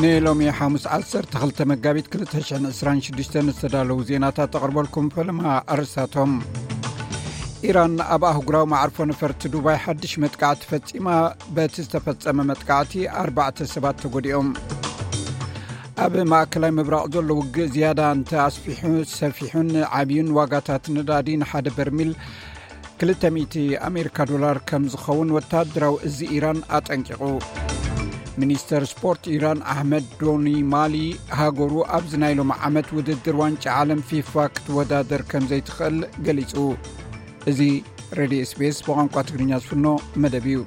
ንሎሚ ሓሙስ ዓሰርተ ክልተ መጋቢት ክልተ ሽሕን ዕስራን ሽዱሽተን ዝተዳለዉ ዜናታት ተቕርበልኩም። ፈለማ ኣርእስታቶም። ኢራን ኣብ ኣህጉራዊ መዓርፎ ነፈርቲ ዱባይ ሓድሽ መጥቃዕቲ ፈጺማ። በቲ ዝተፈጸመ መጥቃዕቲ ኣርባዕተ ሰባት ተጎዲኦም። ኣብ ማእከላይ ምብራቕ ዘሎ ውግእ ዝያዳ እንተ ኣስፊሑ፣ ሰፊሑን ዓብዩን ዋጋታት ነዳዲ ንሓደ በርሚል ክልተ ሚእቲ ኣሜሪካ ዶላር ከም ዝኸውን ወታደራዊ እዚ ኢራን ኣጠንቂቑ። ሚኒስተር ስፖርት ኢራን ኣሕመድ ዶኒ ማሊ፣ ሃገሩ ኣብዚ ናይ ሎሚ ዓመት ውድድር ዋንጫ ዓለም ፊፋ ክትወዳደር ከም ዘይትኽእል ገሊጹ። እዚ ሬድዮ ኤስቢኤስ ብቋንቋ ትግርኛ ዝፍኖ መደብ እዩ።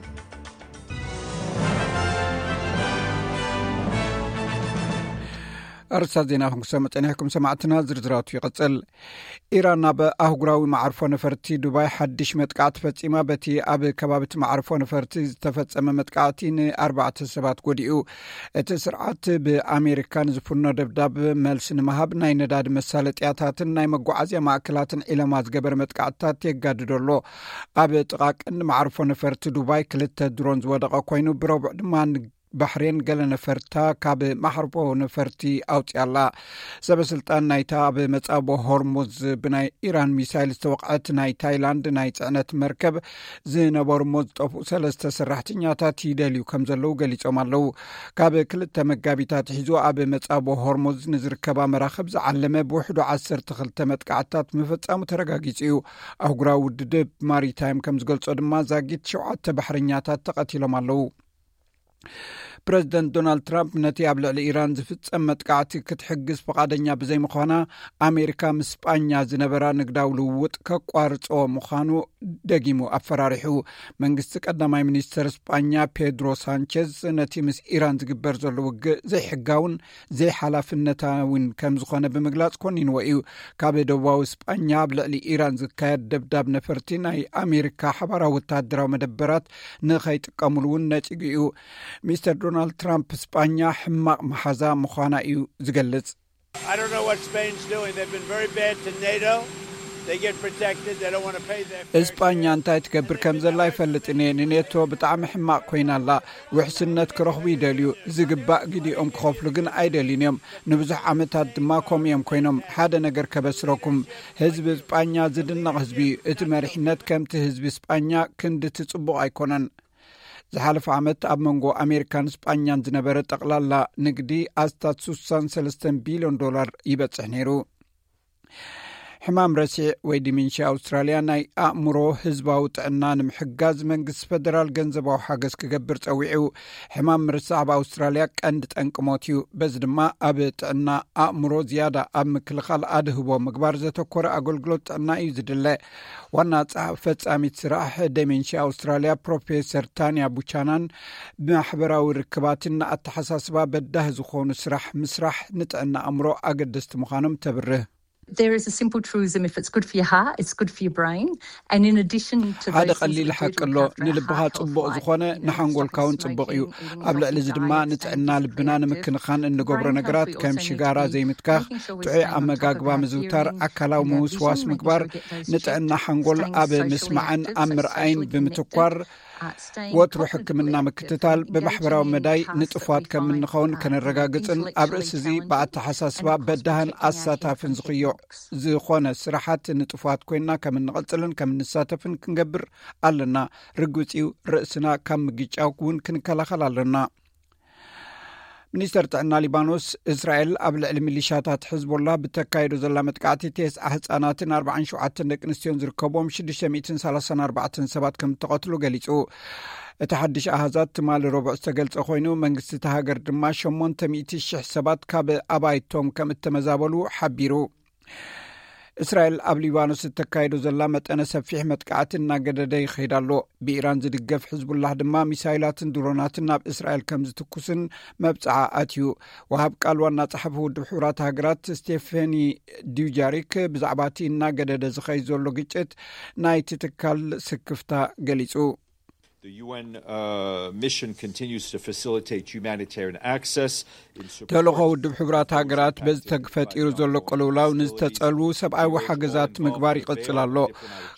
ኣርእስታት ዜና ክንሰምዕ ጸኒሕኩም ሰማዕትና፣ ዝርዝራቱ ይቕጽል። ኢራን ኣብ ኣህጉራዊ መዓርፎ ነፈርቲ ዱባይ ሓድሽ መጥቃዕቲ ፈጺማ። በቲ ኣብ ከባቢ እቲ መዓርፎ ነፈርቲ ዝተፈጸመ መጥቃዕቲ ንኣርባዕተ ሰባት ጎዲኡ። እቲ ስርዓት ብኣሜሪካ ንዝፍኖ ደብዳብ መልሲ ንምሃብ ናይ ነዳዲ መሳለጥያታትን ናይ መጓዓዝያ ማእከላትን ዒለማ ዝገበረ መጥቃዕትታት የጋድዶ ኣሎ። ኣብ ጥቓ ቀንዲ መዓርፎ ነፈርቲ ዱባይ ክልተ ድሮን ዝወደቐ ኮይኑ፣ ብረቡዕ ድማ ን- ባሕሬን ገለ ነፈርታ ካብ መዓርፎ ነፈርቲ ኣውፅኣላ። ሰበ ስልጣን ናይታ ኣብ መጻቦ ሆርሙዝ ብናይ ኢራን ሚሳይል ዝተወቕዐት ናይ ታይላንድ ናይ ጽዕነት መርከብ ዝነበሩ እሞ ዝጠፍኡ ሰለስተ ሰራሕተኛታት ይደልዩ ከም ዘለዉ ገሊጾም ኣለዉ። ካብ ክልተ መጋቢት ኣትሒዙ ኣብ መጻቦ ሆርሙዝ ንዝርከባ መራኽብ ዝዓለመ ብውሕዱ ዓሰርተ ክልተ መጥቃዕትታት ምፍጻሙ ተረጋጊጹ እዩ። ኣህጉራዊ ውድድብ ማሪታይም ከም ዝገልጾ ድማ ዛጊት ሸውዓተ ባሕረኛታት ተቐቲሎም ኣለዉ። ፕረዚደንት ዶናልድ ትራምፕ ነቲ ኣብ ልዕሊ ኢራን ዝፍጸም መጥቃዕቲ ክትሕግዝ ፍቓደኛ ብዘይምዃና፣ ኣሜሪካ ምስ ስጳኛ ዝነበራ ንግዳዊ ልውውጥ ከቋርጾ ምዃኑ ደጊሙ ኣፈራሪሑ። መንግስቲ ቀዳማይ ሚኒስተር ስጳኛ ፔድሮ ሳንቸዝ ነቲ ምስ ኢራን ዝግበር ዘሎ ውግእ ዘይሕጋውን ዘይሓላፍነታዊን ከም ዝኾነ ብምግላጽ ኮኒንዎ እዩ። ካብ ደቡባዊ ስጳኛ ኣብ ልዕሊ ኢራን ዝካየድ ደብዳብ ነፈርቲ ናይ ኣሜሪካ ሓባራዊ ወታደራዊ መደበራት ንኸይጥቀሙሉ እውን ነጺጉ እዩ። ሚስተር ዶናልድ ትራምፕ ስጳኛ ሕማቕ መሓዛ ምዃና እዩ ዝገልጽ። I don't know what Spain's doing. They've been very bad to NATO. They get protected. They don't want to pay their fair እስጳኛ እንታይ ትገብር ከም ዘላ ኣይፈልጥን እየ። ንኔቶ ብጣዕሚ ሕማቕ ኮይና ኣላ። ውሕስነት ክረኽቡ ይደልዩ። ዝግባእ ግዲኦም ክኸፍሉ ግን ኣይደልዩን እዮም። ንብዙሕ ዓመታት ድማ ከምኡ እዮም ኮይኖም። ሓደ ነገር ከበስረኩም፣ ህዝቢ እስጳኛ ዝድነቕ ህዝቢ እዩ። እቲ መሪሕነት ከምቲ ህዝቢ እስጳኛ ክንድቲ ጽቡቕ ኣይኮነን። ዝሓለፈ ዓመት ኣብ መንጎ ኣሜሪካን እስጳኛን ዝነበረ ጠቕላላ ንግዲ ኣስታት ስሳን ሰለስተን ቢልዮን ዶላር ይበጽሕ ነይሩ። ሕማም ረሲዕ ወይ ዲሜንሽያ ኣውስትራልያ ናይ ኣእምሮ ህዝባዊ ጥዕና ንምሕጋዝ መንግስቲ ፈደራል ገንዘባዊ ሓገዝ ክገብር ጸዊዑ። ሕማም ምርሳዕ ኣብ ኣውስትራልያ ቀንዲ ጠንቂ ሞት እዩ። በዚ ድማ ኣብ ጥዕና ኣእምሮ ዝያዳ ኣብ ምክልኻል ኣድህቦ ምግባር ዘተኮረ ኣገልግሎት ጥዕና እዩ ዝድለ። ዋና ጸሓፊ ፈጻሚት ስራሕ ዴሜንሽያ ኣውስትራልያ ፕሮፌሰር ታንያ ቡቻናን ብማሕበራዊ ርክባትን ንኣተሓሳስባ በዳህ ዝኾኑ ስራሕ ምስራሕ ንጥዕና ኣእምሮ ኣገደስቲ ምዃኖም ተብርህ። There is a simple truism: if it's good for your heart, it's good for your brain. And in addition to ሓደ ቀሊል ሓቂ ኣሎ። ንልብኻ ጽቡቕ ዝኾነ ንሓንጎልካ እውን ጽቡቕ እዩ። ኣብ ልዕሊ እዚ ድማ ንጥዕና ልብና ንምክንኻን እንገብሮ ነገራት ከም ሽጋራ ዘይምትካኽ፣ ጥዑይ ኣመጋግባ ምዝውታር፣ ኣካላዊ ምውስዋስ ምግባር፣ ንጥዕና ሓንጎል ኣብ ምስማዕን ኣብ ምርኣይን ብምትኳር፣ ወትሩ ሕክምና ምክትታል፣ ብማሕበራዊ መዳይ ንጥፋት ከም እንኸውን ከነረጋግጽን ኣብ ርእሲ እዚ ብኣተሓሳስባ በዳህን ኣሳታፍን ዝኽዮ ዝኾነ ስራሓት ንጥፋት ኮይንና ከም እንቐጽልን ከም እንሳተፍን ክንገብር ኣለና። ርግጽ እዩ፣ ርእስና ካብ ምግጫው እውን ክንከላኸል ኣለና። ሚኒስተር ጥዕና ሊባኖስ፣ እስራኤል ኣብ ልዕሊ ሚሊሻታት ሕዝቦላ ብተካይዶ ዘላ መጥቃዕቲ፣ ተስዓ ህጻናትን ኣርባዓን ሸውዓተን ደቂ ኣንስትዮን ዝርከብዎም ሽዱሽተ ሚእትን ሰላሳን ኣርባዕተን ሰባት ከም እተቐትሉ ገሊጹ። እቲ ሓድሽ ኣሃዛት ትማሊ ረቡዕ ዝተገልጸ ኮይኑ፣ መንግስቲ እታ ሃገር ድማ ሸሞንተ ሚእቲ ሽሕ ሰባት ካብ ኣባይቶም ከም እተመዛበሉ ሓቢሩ። እስራኤል ኣብ ሊባኖስ እተካይዶ ዘላ መጠነ ሰፊሕ መጥቃዕቲ እናገደደ ይኸይድ ኣሎ። ብኢራን ዝድገፍ ሕዝቡላህ ድማ ሚሳይላትን ድሮናትን ናብ እስራኤል ከም ዝትኩስን መብጽዓ ኣትዩ። ወሃብ ቃል ዋና ጸሓፊ ውድብ ሕቡራት ሃገራት ስቴፈኒ ዱጃሪክ ብዛዕባ እቲ እናገደደ ዝኸይድ ዘሎ ግጭት ናይቲ ትካል ስክፍታ ገሊጹ። The U N uh, mission continues to facilitate humanitarian access. In support ተልእኾ ውድብ ሕቡራት ሃገራት በዚ ተፈጢሩ ዘሎ ቅልውላው ንዝተጸልዉ ሰብኣዊ ሓገዛት ምግባር ይቕጽል ኣሎ።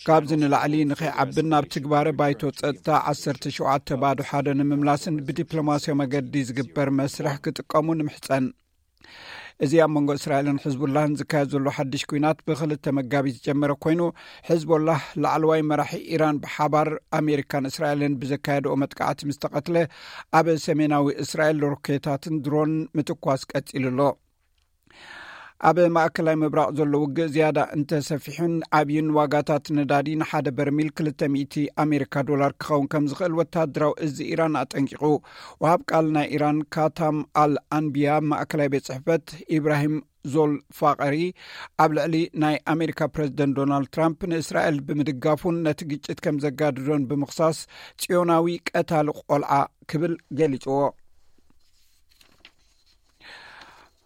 ካብዚ ንላዕሊ ንኸይዓብን ናብ ትግባረ ባይቶ ጸጥታ ዓሰርተ ሸውዓተ ባዶ ሓደ ንምምላስን ብዲፕሎማስያዊ መገዲ ዝግበር መስርሕ ክጥቀሙ ንምሕጸን። እዚ ኣብ መንጎ እስራኤልን ሕዝቡላህን ዝካየድ ዘሎ ሓድሽ ኲናት ብክልተ መጋቢት ዝጀመረ ኮይኑ፣ ሕዝቦላህ ላዕለዋይ መራሒ ኢራን ብሓባር ኣሜሪካን እስራኤልን ብዘካየድኦ መጥቃዕቲ ምስ ተቐትለ፣ ኣብ ሰሜናዊ እስራኤል ሮኬታትን ድሮን ምትኳስ ቀጺሉ ኣሎ። ኣብ ማእከላይ ምብራቕ ዘሎ ውግእ ዝያዳ እንተሰፊሑን ዓብዩን፣ ዋጋታት ነዳዲ ንሓደ በርሚል ክልተ ሚእቲ ኣሜሪካ ዶላር ክኸውን ከም ዝኽእል ወተሃደራዊ እዚ ኢራን ኣጠንቂቑ። ወሃብ ቃል ናይ ኢራን ካታም ኣል ኣንቢያ ማእከላይ ቤት ጽሕፈት ኢብራሂም ዞል ፋቐሪ ኣብ ልዕሊ ናይ ኣሜሪካ ፕረዚደንት ዶናልድ ትራምፕ ንእስራኤል ብምድጋፉን ነቲ ግጭት ከም ዘጋድዶን ብምኽሳስ ጽዮናዊ ቀታሊ ቆልዓ ክብል ገሊጽዎ።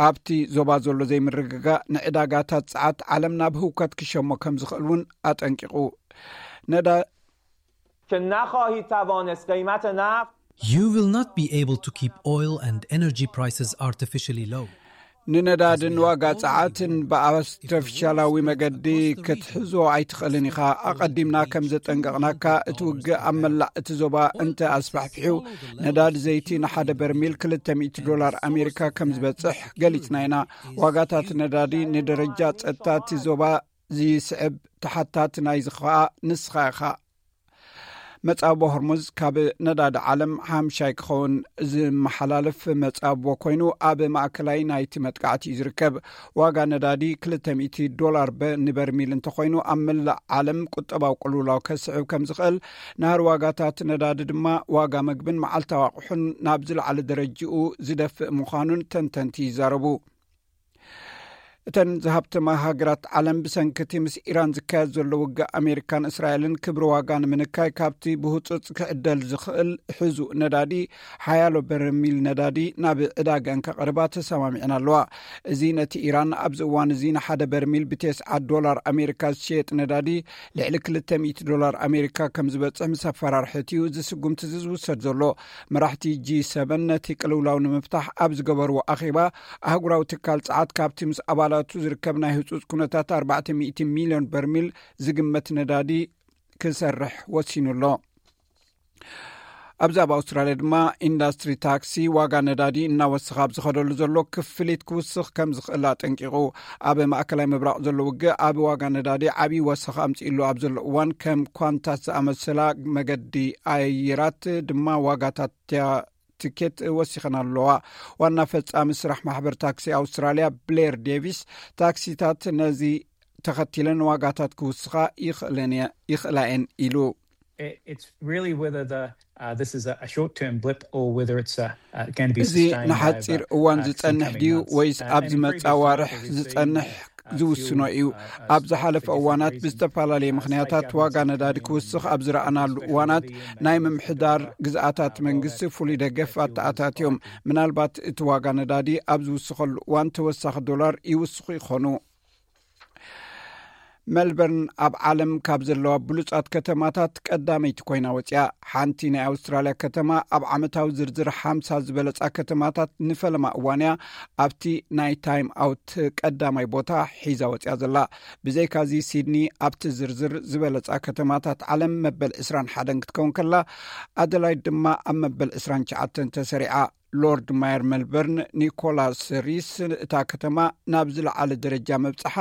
ኣብቲ ዞባ ዘሎ ዘይምርግጋእ ንዕዳጋታት ጸዓት ዓለም ናብ ህውከት ክሸሞ ከም ዝኽእል እውን ኣጠንቂቑ። ነዳ که نخواهید توانست قیمت نفت You will not be able to keep oil and energy prices artificially low. ንነዳድን ዋጋ ጸዓትን ብኣርቲፊሻላዊ መገዲ ክትሕዞ ኣይትኽእልን ኢኻ። ኣቐዲምና ከም ዘጠንቀቕናካ፣ እቲ ውግእ ኣብ መላእ እቲ ዞባ እንተ ኣስፋሕፊሑ፣ ነዳዲ ዘይቲ ንሓደ በርሚል ክልተ ሚእቲ ዶላር ኣሜሪካ ከም ዝበጽሕ ገሊጽና ኢና። ዋጋታት ነዳዲ ንደረጃ ጸጥታ እቲ ዞባ ዝስዕብ ተሓታቲ ናይዚ ኸኣ ንስኻ ኢኻ። መጻቦ ሆርሙዝ ካብ ነዳዲ ዓለም ሓምሻይ ክኸውን ዝመሓላለፍ መጻቦ ኮይኑ፣ ኣብ ማእከላይ ናይቲ መጥቃዕቲ እዩ ዝርከብ። ዋጋ ነዳዲ ክልተ ሚእቲ ዶላር በ- ንበርሚል እንተኾይኑ፣ ኣብ መላእ ዓለም ቁጠባዊ ቅልውላው ከስዕብ ከም ዝኽእል፣ ናህሪ ዋጋታት ነዳዲ ድማ ዋጋ መግብን መዓልታዊ ኣቑሑን ናብ ዝለዓለ ደረጃኡ ዝደፍእ ምዃኑን ተንተንቲ ይዛረቡ። እተን ዝሃብተማ ሃገራት ዓለም ብሰንኪ እቲ ምስ ኢራን ዝካየድ ዘሎ ውግእ ኣሜሪካን እስራኤልን ክብሪ ዋጋ ንምንካይ ካብቲ ብህጹጽ ክዕደል ዝኽእል ሕዙእ ነዳዲ ሓያሎ በርሚል ነዳዲ ናብ ዕዳገን ከቕርባ ተሰማሚዐን ኣለዋ። እዚ ነቲ ኢራን ኣብዚ እዋን እዚ ንሓደ በርሚል ብቴስዓ ዶላር ኣሜሪካ ዝሸየጥ ነዳዲ ልዕሊ ክልተ ሚእቲ ዶላር ኣሜሪካ ከም ዝበጽሕ ምስ ኣፈራርሐት እዩ እዚ ስጉምቲ እዚ ዝውሰድ ዘሎ። መራሕቲ ጂ ሰቨን ነቲ ቅልውላው ንምፍታሕ ኣብ ዝገበርዎ ኣኼባ ኣህጉራዊ ትካል ጸዓት ካብቲ ምስ ኣባላቱ ዝርከብ ናይ ህጹጽ ኩነታት ኣርባዕተ ሚእቲ ሚልዮን በርሚል ዝግመት ነዳዲ ክሰርሕ ወሲኑ ኣሎ። ኣብዚ ኣብ ኣውስትራልያ ድማ ኢንዳስትሪ ታክሲ ዋጋ ነዳዲ እናወሰኸ ኣብ ዝኸደሉ ዘሎ ክፍሊት ክውስኽ ከም ዝኽእል ኣጠንቂቑ። ኣብ ማእከላይ ምብራቕ ዘሎ ውግእ ኣብ ዋጋ ነዳዲ ዓብዪ ወሰኸ ኣምጺእሉ ኣብ ዘሎ እዋን ከም ኳንታስ ዝኣመሰላ መገዲ ኣየራት ድማ ዋጋታት ትኬት ወሲኸን ኣለዋ። ዋና ፈጻሚ ስራሕ ማሕበር ታክሲ ኣውስትራልያ ብሌር ዴቪስ ታክሲታት ነዚ ተኸቲለን ዋጋታት ክውስኻ ይኽእላ እየን ኢሉ። It's really whether the uh, this is a, a short-term blip or whether it's uh, uh, going to be እዚ ንሓፂር እዋን ዝፀንሕ ድዩ ወይስ ኣብ ዝመፃ ዋርሕ ዝፀንሕ ዝውስኖ እዩ። ኣብ ዝሓለፈ እዋናት ብዝተፈላለየ ምኽንያታት ዋጋ ነዳዲ ክውስኽ ኣብ ዝረኣናሉ እዋናት ናይ ምምሕዳር ግዝኣታት መንግስቲ ፍሉይ ደገፍ ኣተኣታትዮም። ምናልባት እቲ ዋጋ ነዳዲ ኣብ ዝውስኸሉ እዋን ተወሳኺ ዶላር ይውስኹ ይኾኑ። ሜልበርን ኣብ ዓለም ካብ ዘለዋ ብሉጻት ከተማታት ቀዳመይቲ ኮይና ወጽያ። ሓንቲ ናይ ኣውስትራልያ ከተማ ኣብ ዓመታዊ ዝርዝር ሓምሳ ዝበለጻ ከተማታት ንፈለማ እዋንያ ኣብቲ ናይ ታይም ኣውት ቀዳማይ ቦታ ሒዛ ወጽያ ዘላ። ብዘይካዚ ሲድኒ ኣብቲ ዝርዝር ዝበለጻ ከተማታት ዓለም መበል ዕስራን ሓደን ክትከውን ከላ፣ ኣደላይድ ድማ ኣብ መበል ዕስራን ትሽዓተን ተሰሪዓ። ሎርድ ማየር ሜልበርን ኒኮላስ ሪስ እታ ከተማ ናብ ዝለዓለ ደረጃ መብጽሓ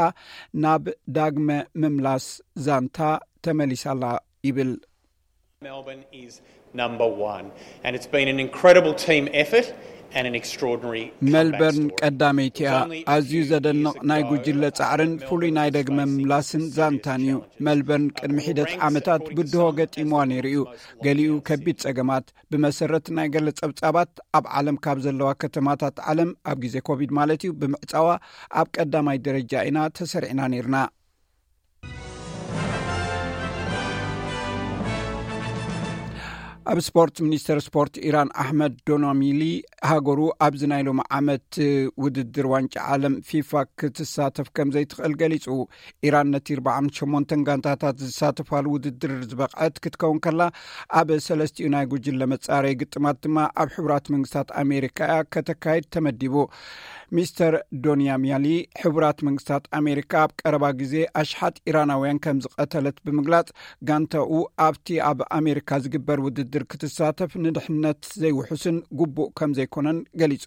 ናብ ዳግመ ምምላስ ዛንታ ተመሊሳላ ይብል። Melbourne is number one, and it's been an incredible team effort and an extraordinary comeback ሜልበርን story. ቀዳመይቲ እያ። ኣዝዩ ዘደንቕ ናይ ጉጅለ ጻዕርን ፍሉይ ናይ ደግመ ምላስን ዛንታን እዩ። ሜልበርን ቅድሚ ሒደት ዓመታት ብድሆ ገጢምዋ ነይሩ እዩ። ገሊኡ ከቢድ ጸገማት። ብመሰረት ናይ ገለ ጸብጻባት ኣብ ዓለም ካብ ዘለዋ ከተማታት ዓለም ኣብ ግዜ ኮቪድ ማለት እዩ ብምዕጻዋ ኣብ ቀዳማይ ደረጃ ኢና ተሰሪዕና ነይርና። ኣብ ስፖርት፣ ሚኒስተር ስፖርት ኢራን ኣሕመድ ዶናሚሊ፣ ሃገሩ ኣብዚ ናይ ሎሚ ዓመት ውድድር ዋንጫ ዓለም ፊፋ ክትሳተፍ ከም ዘይትኽእል ገሊጹ። ኢራን ነቲ ኣርብዓን ሸሞንተን ጋንታታት ዝሳተፋሉ ውድድር ዝበቕዐት ክትከውን ከላ፣ ኣብ ሰለስቲኡ ናይ ጉጅለ መጻረይ ግጥማት ድማ ኣብ ሕቡራት መንግስታት ኣሜሪካ እያ ከተካይድ ተመዲቡ። ሚስተር ዶንያሚያሊ፣ ሕቡራት መንግስታት ኣሜሪካ ኣብ ቀረባ ግዜ ኣሽሓት ኢራናውያን ከም ዝቐተለት ብምግላጽ፣ ጋንታኡ ኣብቲ ኣብ ኣሜሪካ ዝግበር ውድድር ክትሳተፍ ንድሕነት ዘይውሑስን ግቡእ ከም ዘይኮነን ገሊጹ።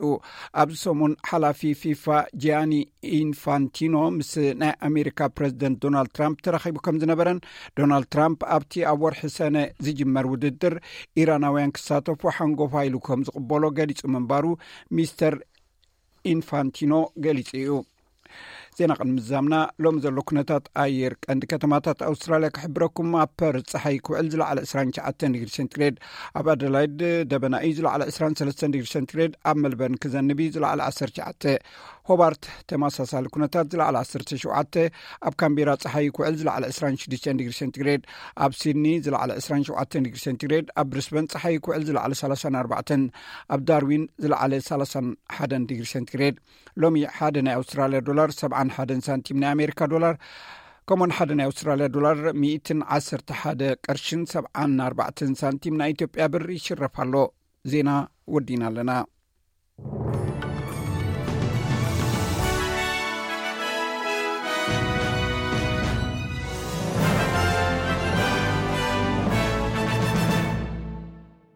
ኣብዚ ሰሙን፣ ሓላፊ ፊፋ ጂያኒ ኢንፋንቲኖ ምስ ናይ ኣሜሪካ ፕረዚደንት ዶናልድ ትራምፕ ተራኺቡ ከም ዝነበረን፣ ዶናልድ ትራምፕ ኣብቲ ኣብ ወርሒ ሰነ ዝጅመር ውድድር ኢራናውያን ክሳተፉ ሓንጎፋ ኢሉ ከም ዝቕበሎ ገሊጹ ምንባሩ ሚስተር ኢንፋንቲኖ ገሊጹ እዩ። ዜና ቅድሚ ምዛምና፣ ሎሚ ዘሎ ኩነታት ኣየር ቀንዲ ከተማታት ኣውስትራልያ ክሕብረኩም። ኣብ ፐርዝ ጸሓይ ክውዕል፣ ዝለዓለ ዕስራን ትሽዓተን ዲግሪ ሴንቲግሬድ፣ ኣብ ኣደላይድ ደበና እዩ፣ ዝለዓለ ዕስራን ሰለስተን ዲግሪ ሴንቲግሬድ፣ ኣብ መልበርን ክዘንብ እዩ፣ ዝለዓለ ዓሰርተ ትሽዓተ፣ ሆባርት ተመሳሳሊ ኩነታት፣ ዝለዓለ ዓሰርተ ሸውዓተ፣ ኣብ ካምቤራ ጸሓይ ክውዕል፣ ዝለዓለ ዕስራን ሽዱሽተን ዲግሪ ሴንቲግሬድ፣ ኣብ ሲድኒ ዝለዓለ ዕስራን ሸውዓተን ዲግሪ ሴንቲግሬድ፣ ኣብ ብሪስበን ጸሓይ ክውዕል፣ ዝለዓለ ሰላሳን ኣርባዕተን፣ ኣብ ዳርዊን ዝለዓለ ሰላሳን ሓደን ዲግሪ ሴንቲግሬድ። ሎሚ ሓደ ናይ ኣውስትራልያ ዶላር ሰብዓን ሓደን ሳንቲም ናይ ኣሜሪካ ዶላር፣ ከምኡን ሓደ ናይ ኣውስትራልያ ዶላር ሚእትን ዓሰርተ ሓደ ቅርሽን ሰብዓን ኣርባዕተን ሳንቲም ናይ ኢትዮጵያ ብር ይሽረፍ ኣሎ። ዜና ወዲና ኣለና።